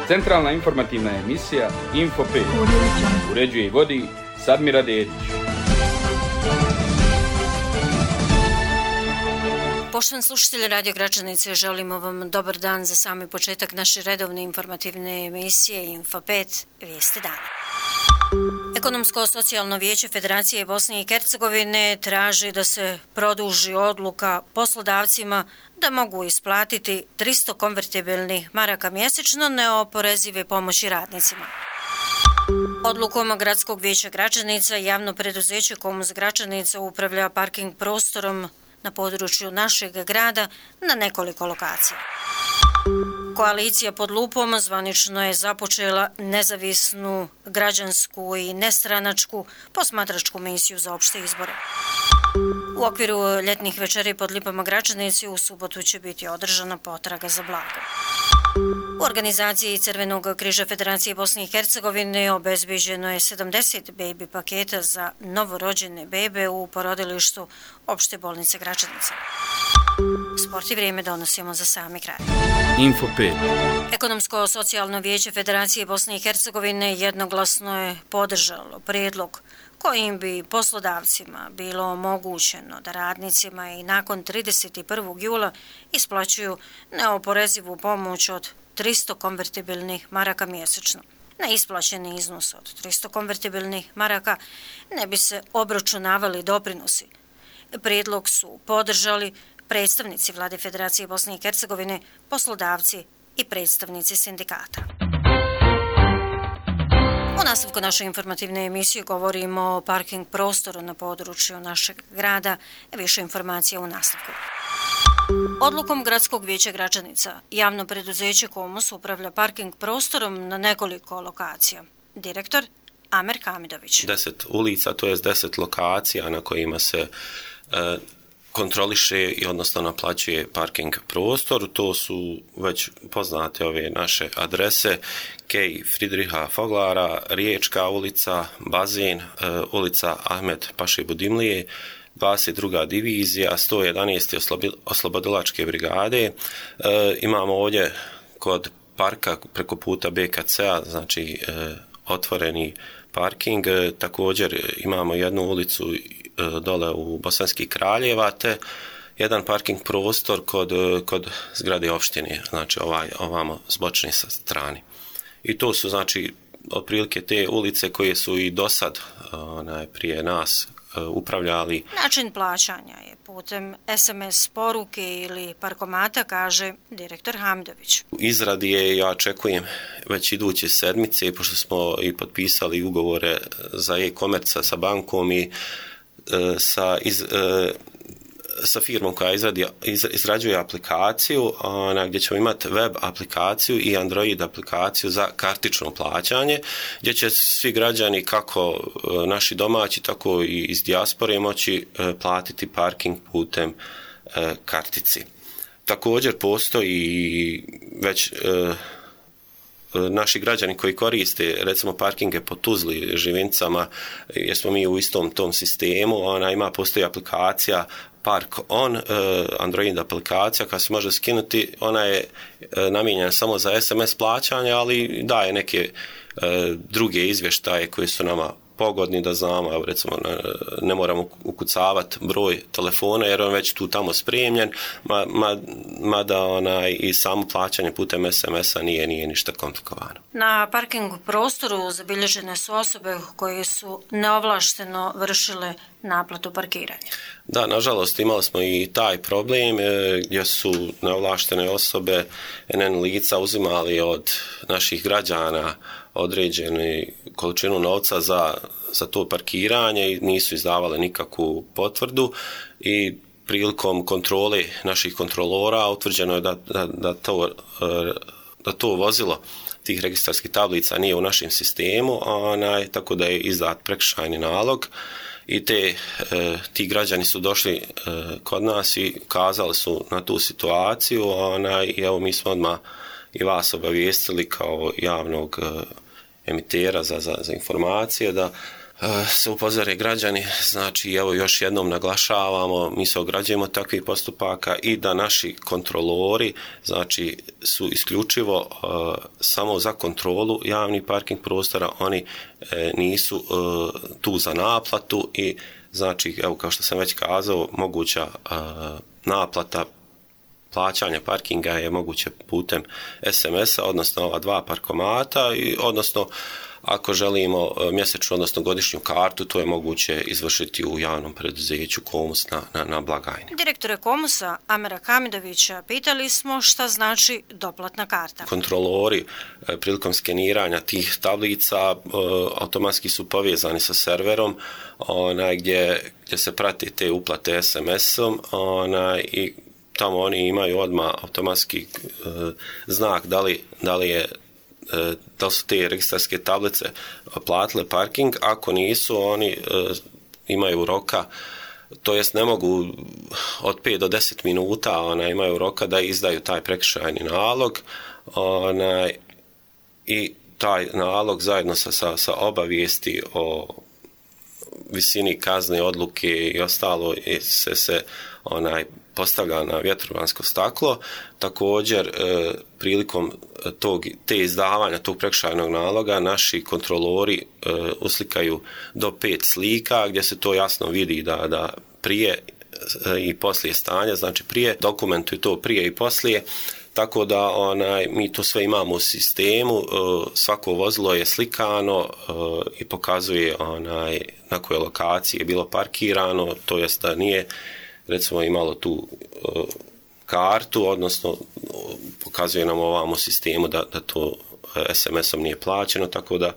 Centralna informativna emisija Info 5. Uređuje i vodi Sadmira Dedić. Poštovani slušatelji Radio Gračanice, želimo vam dobar dan za sami početak naše redovne informativne emisije Info 5 Vijesti dana. Ekonomsko-socijalno vijeće Federacije Bosne i Hercegovine traži da se produži odluka poslodavcima da mogu isplatiti 300 konvertibilnih maraka mjesečno neoporezive pomoći radnicima. Odlukom Gradskog vijeća Gračanica javno preduzeće Komus Gračanica upravlja parking prostorom na području našeg grada na nekoliko lokacija. Koalicija pod lupom zvanično je započela nezavisnu, građansku i nestranačku posmatračku misiju za opšte izbore. U okviru ljetnih večeri pod lipama Gračanici u subotu će biti održana potraga za blagom. U organizaciji Crvenog križa Federacije Bosne i Hercegovine obezbeđeno je 70 baby paketa za novorođene bebe u porodilištu opšte bolnice Gračanica. Sport i vrijeme donosimo za sami kraj. Info 5. Ekonomsko-socijalno vijeće Federacije Bosne i Hercegovine jednoglasno je podržalo prijedlog kojim bi poslodavcima bilo omogućeno da radnicima i nakon 31. jula isplaćuju neoporezivu pomoć od 300 konvertibilnih maraka mjesečno. Na isplaćeni iznos od 300 konvertibilnih maraka ne bi se obračunavali doprinosi. Prijedlog su podržali predstavnici Vlade Federacije Bosne i Hercegovine, poslodavci i predstavnici sindikata. U nastavku naše informativne emisije govorimo o parking prostoru na području našeg grada. Više informacija u nastavku. Odlukom Gradskog vijeća Gračanica javno preduzeće Komus upravlja parking prostorom na nekoliko lokacija. Direktor Amer Hamidović. 10 ulica, to je 10 lokacija na kojima se kontroliše i odnosno naplaćuje parking prostor. To su već poznate ove naše adrese: Kej Fridriha Foglara, Riječka ulica, Bazen, ulica Ahmed Paše Budimlije, 22. divizija, 111. oslobodilačke brigade. Imamo ovdje kod parka preko puta BKC-a, znači otvoreni parking. Također imamo jednu ulicu dole u Bosanskih Kraljeva, te jedan parking prostor kod zgrade opštine, znači ovamo s bočne strane. I to su znači otprilike te ulice koje su i do sad prije nas upravljali. Način plaćanja je putem SMS poruke ili parkomata, kaže direktor Hamidović. U izradi je, ja očekujem već iduće sedmice, pošto smo i potpisali ugovore za e-komerca sa bankom i sa firmom koja izrađuje aplikaciju, gdje ćemo imati web aplikaciju i Android aplikaciju za kartično plaćanje, gdje će svi građani, kako naši domaći, tako i iz dijaspore, moći platiti parking putem kartici. Također postoji već naši građani koji koriste recimo parkinge po Tuzli, Živincama, jer smo mi u istom tom sistemu, postoji aplikacija Park On, Android aplikacija koja se može skinuti. Ona je namijenjena samo za SMS plaćanje, ali daje neke druge izvještaje koji su nama pogodni da znamo. Evo, recimo, ne moramo ukucavati broj telefona jer on već tu tamo spremljen, mada i samo plaćanje putem SMS-a nije ništa komplikovano. Na parking prostoru zabilježene su osobe koje su neovlašteno vršile naplatu parkiranja. Da, nažalost imali smo i taj problem gdje su neovlaštene osobe, NN lica, uzimali od naših građana određenu količinu novca za to parkiranje i nisu izdavale nikakvu potvrdu, i prilikom kontrole naših kontrolora utvrđeno je da to vozilo tih registarskih tablica nije u našem sistemu, tako da je izdat prekršajni nalog. I ti građani su došli kod nas i kazali su na tu situaciju, i evo mi smo odmah i vas obavijestili kao javnog emitera za informacije da se upozore građani, znači evo još jednom naglašavamo, mi se ograđujemo takvih postupaka i da naši kontrolori znači su isključivo samo za kontrolu javnih parking prostora, oni nisu tu za naplatu i znači evo kao što sam već kazao, moguća naplata plaćanja parkinga je moguće putem SMS-a, odnosno ova 2 parkomata i odnosno ako želimo mjesečnu, odnosno godišnju kartu, to je moguće izvršiti u javnom preduzeću Komus na blagajni. Direktore Komusa Amera Hamidovića pitali smo šta znači doplatna karta. Kontrolori prilikom skeniranja tih tablica automatski su povezani sa serverom gdje se prati te uplate SMS-om i tamo oni imaju odmah automatski znak da li su te registarske tablice platile parking, ako nisu oni imaju roka, to jest ne mogu od 5 do 10 minuta imaju roka da izdaju taj prekršajni nalog i taj nalog zajedno sa obavijesti o visini kazne, odluke i ostalo se postavlja na vjetrovansko staklo. Također, prilikom te izdavanja tog prekršajnog naloga, naši kontrolori uslikaju do 5 slika gdje se to jasno vidi da prije i poslije stanja, znači prije, dokumentuju to prije i poslije, tako da mi to sve imamo u sistemu, svako vozilo je slikano i pokazuje na kojoj lokaciji je bilo parkirano, to jest da nije recimo imalo tu kartu, odnosno pokazuje nam ovamo sistemu da to SMS-om nije plaćeno, tako da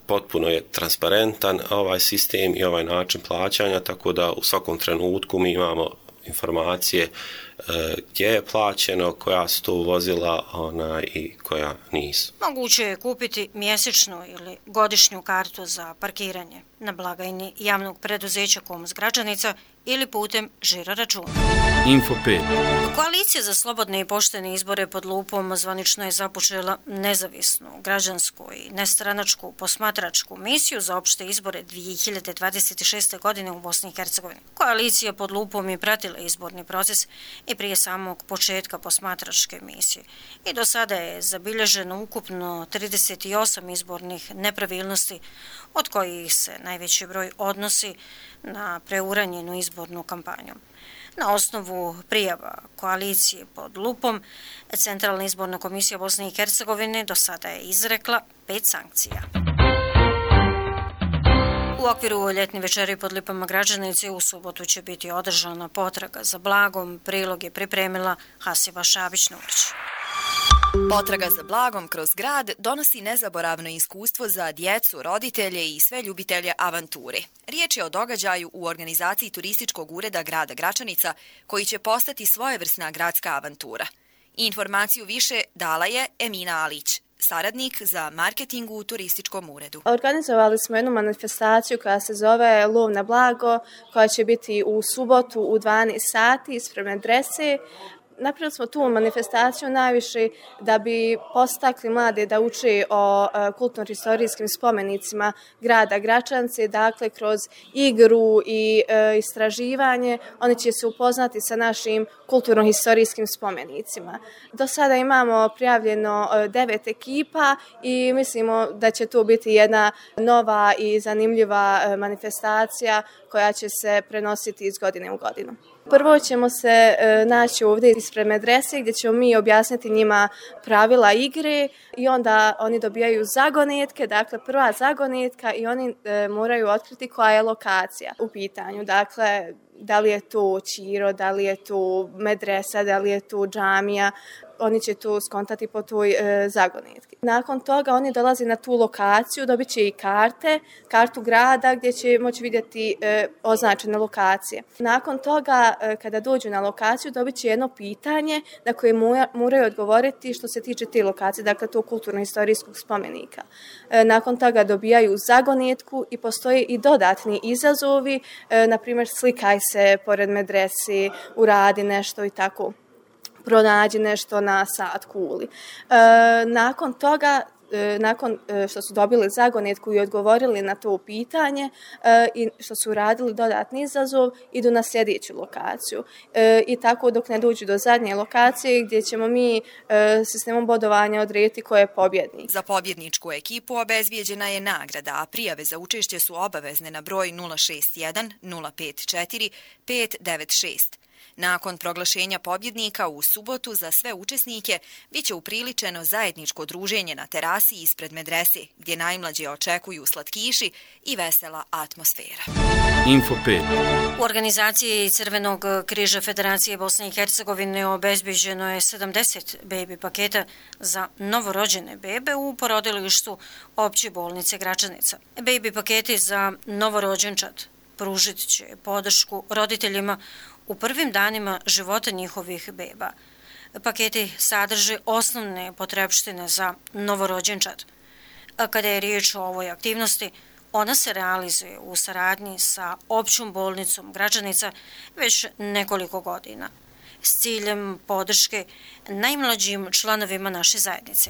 potpuno je transparentan ovaj sistem i ovaj način plaćanja, tako da u svakom trenutku mi imamo informacije gdje je plaćeno, koja su to vozila i koja nisu. Moguće je kupiti mjesečnu ili godišnju kartu za parkiranje na blagajni javnog preduzeća Komus Gračanica ili putem žiro računa. Info 5. Koalicija za slobodne i poštene izbore pod lupom zvanično je započela nezavisnu, građansku i nestranačku posmatračku misiju za opšte izbore 2026. godine u Bosni i Hercegovini. Koalicija pod lupom je pratila izborni proces i prije samog početka posmatračke misije. I do sada je zabilježeno ukupno 38 izbornih nepravilnosti, od kojih se najveći broj odnosi na preuranjenu izbornu kampanju. Na osnovu prijava koalicije pod lupom, Centralna izborna komisija Bosne i Hercegovine do sada je izrekla 5 sankcija. U okviru ljetne večeri pod lipama Gračanice u subotu će biti održana potraga za blagom. Prilog je pripremila Hasiba Šabić-Nurić. Potraga za blagom kroz grad donosi nezaboravno iskustvo za djecu, roditelje i sve ljubitelje avanture. Riječ je o događaju u organizaciji turističkog ureda grada Gračanica, koji će postati svojevrsna gradska avantura. Informaciju više dala je Emina Alić, saradnik za marketing u turističkom uredu. Organizovali smo jednu manifestaciju koja se zove Lov na blago, koja će biti u subotu u 12 sati ispred medrese. Napravili smo tu manifestaciju najviše da bi postakli mlade da uče o kulturno-historijskim spomenicima grada Gračanice, dakle kroz igru i istraživanje oni će se upoznati sa našim kulturno-historijskim spomenicima. Do sada imamo prijavljeno 9 ekipa i mislimo da će to biti jedna nova i zanimljiva manifestacija koja će se prenositi iz godine u godinu. Prvo ćemo se naći ovdje ispred medrese gdje ćemo mi objasniti njima pravila igre i onda oni dobijaju zagonetke, dakle prva zagonetka i oni moraju otkriti koja je lokacija u pitanju. Dakle, da li je tu Čiro, da li je tu medresa, da li je tu džamija, oni će tu skontati po toj zagonetki. Nakon toga oni dolaze na tu lokaciju, dobit će i kartu grada gdje će moći vidjeti označene lokacije. Nakon toga, kada dođu na lokaciju, dobit će jedno pitanje na koje moraju odgovoriti što se tiče te lokacije, dakle tog kulturno-historijskog spomenika. Nakon toga dobijaju zagonetku i postoje i dodatni izazovi, na primjer slikaj se pored medrese, uradi nešto i tako. Pronađi nešto na sat kuli. Nakon toga nakon što su dobili zagonetku i odgovorili na to pitanje i što su uradili dodatni izazov, idu na sljedeću lokaciju. I tako dok ne dođu do zadnje lokacije gdje ćemo mi sistemom bodovanja odrediti ko je pobjednik. Za pobjedničku ekipu obezbijeđena je nagrada, a prijave za učešće su obavezne na broj 061 054 596. Nakon proglašenja pobjednika u subotu za sve učesnike biće upriličeno zajedničko druženje na terasi ispred medrese, gdje najmlađe očekuju slatkiši i vesela atmosfera. Info 5. U organizaciji Crvenog križa Federacije Bosne i Hercegovine obezbeđeno je 70 bebi paketa za novorođene bebe u porodilištu Opće bolnice Gračanica. Bebi paketi za novorođenčad pružit će podršku roditeljima u prvim danima života njihovih beba. Paketi sadrže osnovne potrepštine za novorođenčad. A kada je riječ o ovoj aktivnosti, ona se realizuje u saradnji sa Općom bolnicom Gračanica već nekoliko godina s ciljem podrške najmlađim članovima naše zajednice.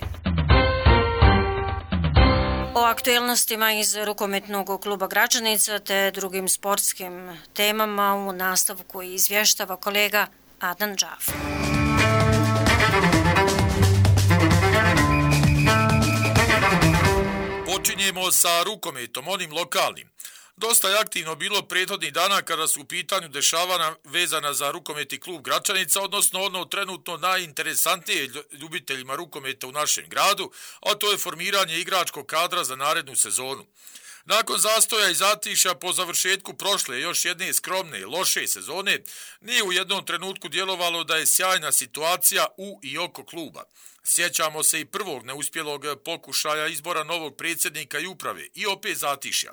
O aktuelnostima iz rukometnog kluba Gračanica te drugim sportskim temama u nastavku izvještava kolega Adnan Džaf. Počinjemo sa rukometom, onim lokalnim. Dosta je aktivno bilo prethodnih dana kada su u pitanju dešavanja vezana za rukometni klub Gračanica, odnosno ono trenutno najinteresantnije ljubiteljima rukometa u našem gradu, a to je formiranje igračkog kadra za narednu sezonu. Nakon zastoja i zatišja po završetku prošle još jedne skromne, loše sezone, nije u jednom trenutku djelovalo da je sjajna situacija u i oko kluba. Sjećamo se i prvog neuspjelog pokušaja izbora novog predsjednika i uprave i opet zatišja.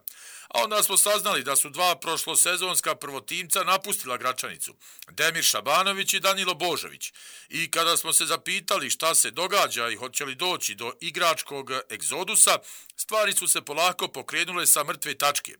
A onda smo saznali da su dva prošlosezonska prvotimca napustila Gračanicu, Demir Šabanović i Danilo Božović. I kada smo se zapitali šta se događa i hoće li doći do igračkog egzodusa, stvari su se polako pokrenule sa mrtve tačke.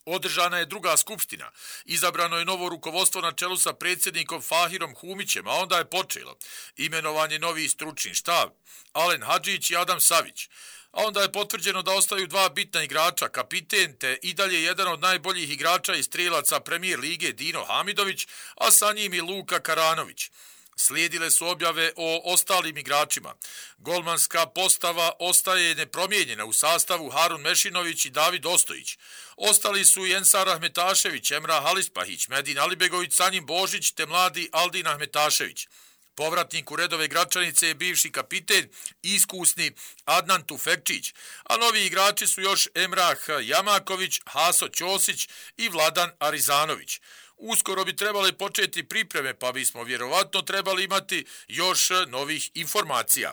Održana je druga skupština, izabrano je novo rukovodstvo na čelu sa predsjednikom Fahirom Humićem, a onda je počelo imenovanje novih stručni štab, Alen Hadžić i Adam Savić. A onda je potvrđeno da ostaju dva bitna igrača, kapiten te i dalje jedan od najboljih igrača i strelaca Premijer lige Dino Hamidović, a sa njim i Luka Karanović. Slijedile su objave o ostalim igračima. Golmanska postava ostaje nepromijenjena u sastavu Harun Mešinović i David Ostojić. Ostali su Jensar Ahmetašević, Emrah Alispahić, Medin Alibegović, Sanjim Božić te mladi Aldin Ahmetašević. Povratnik u redove Gračanice je bivši kapiten, iskusni Adnan Tufekčić, a novi igrači su još Emrah Jamaković, Haso Ćosić i Vladan Arizanović. Uskoro bi trebale početi pripreme, pa bismo vjerovatno trebali imati još novih informacija.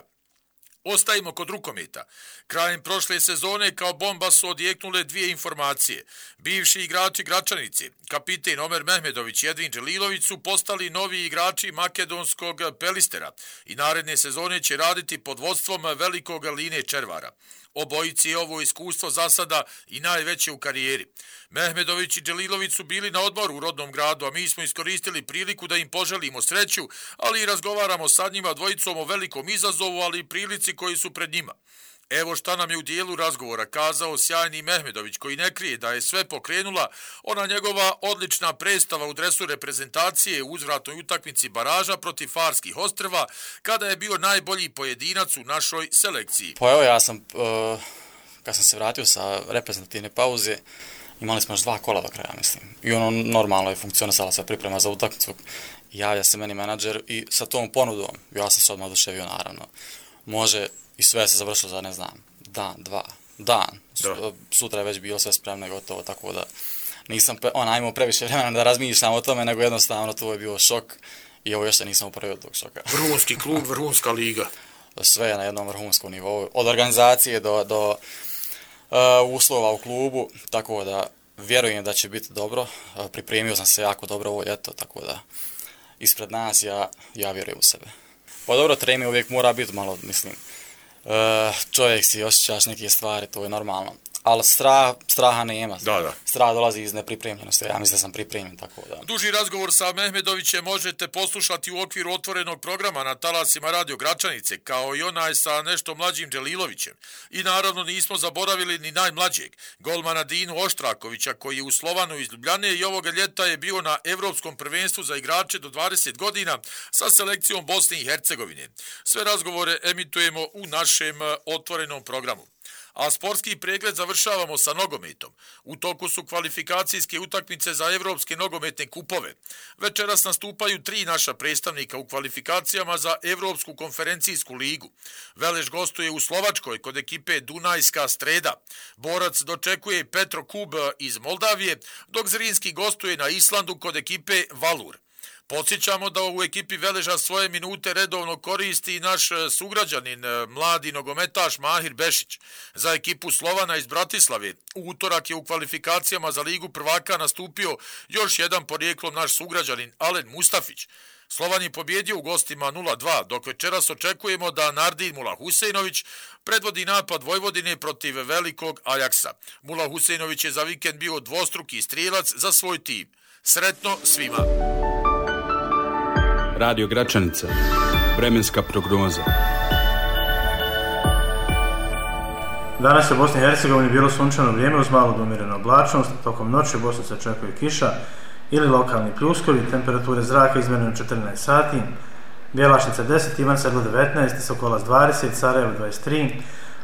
Ostajemo kod rukometa. Krajem prošle sezone kao bomba su odjeknule dvije informacije. Bivši igrači Gračanice, kapiten Omer Mehmedović i Edvin Đelilović su postali novi igrači makedonskog Pelistera i naredne sezone će raditi pod vodstvom velikog Line Červara. Obojici je ovo iskustvo za sada i najveće u karijeri. Mehmedović i Đelilović su bili na odmoru u rodnom gradu, a mi smo iskoristili priliku da im poželimo sreću, ali i razgovaramo sa njima dvojicom o velikom izazovu, ali i prilici koji su pred njima. Evo šta nam je u dijelu razgovora kazao sjajni Mehmedović, koji ne krije da je sve pokrenula ona njegova odlična predstava u dresu reprezentacije u uzvratnoj utakmici baraža protiv Farskih ostrva, kada je bio najbolji pojedinac u našoj selekciji. Pa evo ja sam, kad sam se vratio sa reprezentativne pauze, imali smo još 2 kola do kraja, mislim. I ono normalno je funkcionisala sa priprema za utakmicu. Javlja se meni menadžer i sa tom ponudom, ja sam se odmah oduševio naravno. Može i sve se završilo za, ne znam, dan. Sutra je već bilo sve spremno i gotovo, tako da nisam imao previše vremena da razmišljam o tome, nego jednostavno to je bio šok i ovo još se nisam upravio od tog šoka. Vrhunski klub, vrhunska liga. Sve je na jednom vrhunskom nivou, od organizacije do uslova u klubu, tako da vjerujem da će biti dobro. Pripremio sam se jako dobro ovo ljeto, tako da ispred nas ja vjerujem u sebe. Pa dobro, trening uvijek mora biti malo, mislim, čovjek si osjećaš neke stvari, to je normalno, ali straha nema. Da. Strah dolazi iz nepripremljenosti, ja mislim da sam pripremljen, tako da. Duži razgovor sa Mehmedovićem možete poslušati u okviru otvorenog programa na talasima Radio Gračanice, kao i onaj sa nešto mlađim Dželilovićem. I naravno nismo zaboravili ni najmlađeg, golmana Dinu Oštrakovića, koji je u Slovanu iz Ljubljane i ovoga ljeta je bio na Evropskom prvenstvu za igrače do 20 godina sa selekcijom Bosne i Hercegovine. Sve razgovore emitujemo u našem otvorenom programu. A sportski pregled završavamo sa nogometom. U toku su kvalifikacijske utakmice za evropske nogometne kupove. Večeras nastupaju 3 naša predstavnika u kvalifikacijama za Evropsku konferencijsku ligu. Veleš gostuje u Slovačkoj kod ekipe Dunajska Streda. Borac dočekuje Petro Kub iz Moldavije, dok Zrinski gostuje na Islandu kod ekipe Valur. Podsjećamo da u ekipi Veleža svoje minute redovno koristi i naš sugrađanin, mladi nogometaš Mahir Bešić. Za ekipu Slovana iz Bratislave u utorak je u kvalifikacijama za Ligu prvaka nastupio još jedan porijeklom naš sugrađanin Alen Mustafić. Slovan je pobjedio u gostima 0-2, dok večeras očekujemo da Nardin Mula Husejnović predvodi napad Vojvodine protiv velikog Ajaksa. Mula Husejnović je za vikend bio dvostruki strijelac za svoj tim. Sretno svima! Radio Gračanica. Vremenska prognoza. Danas je u Bosni i Hercegovini bilo sunčano vrijeme uz malo do umjerene oblačnost. Tokom noći u Bosni se očekuje kiša ili lokalni pljuskovi. Temperature zraka izmjerene u 14 sati. Bjelašnica 10, Ivan Sedlo 19, Sokolac 20, Sarajevo 23,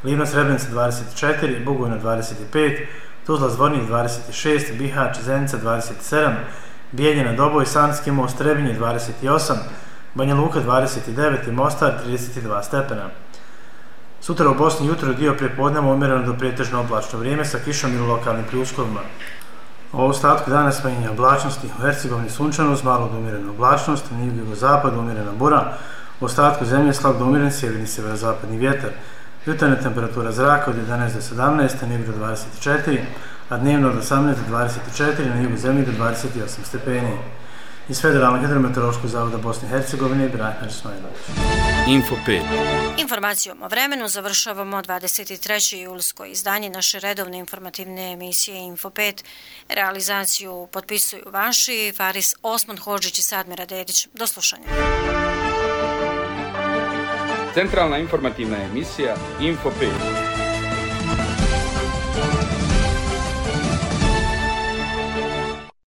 Livno Srebrenica 24, Bugojno 25, Tuzla Zvornik 26, Bihać, Zenica 27, Bijeljina, Doboj, Sanski most, Trebinje 28, Banja Luka 29 i Mostar 32 stepena. Sutra u Bosni jutro dio prijepodneva umjereno do pretežno oblačno vrijeme sa kišom ili lokalnim pljuskovima. U ostatku dana smanjenje oblačnosti, u Hercegovini sunčano uz malo do umjerene oblačnost, na jugozapadu umjerena bura, u ostatku zemlje slab do umjeren sjeverni sjeverozapadni vjetar. Jutarnja temperatura zraka od 11 do 17, na jugu do 24, a dnevno od 18 do 24, na jugu zemlje do 28 stepeni. Iz Federalnog hidrometeorološkog zavoda Bosne i Hercegovine, Brahimir Ismailović. Info 5. Informacijom o vremenu završavamo 23. julsko izdanje naše redovne informativne emisije Info 5. Realizaciju potpisuju vaši Faris Osman Hodžić i Sadmira Dedić. Do slušanja. Centralna informativna emisija Info 5.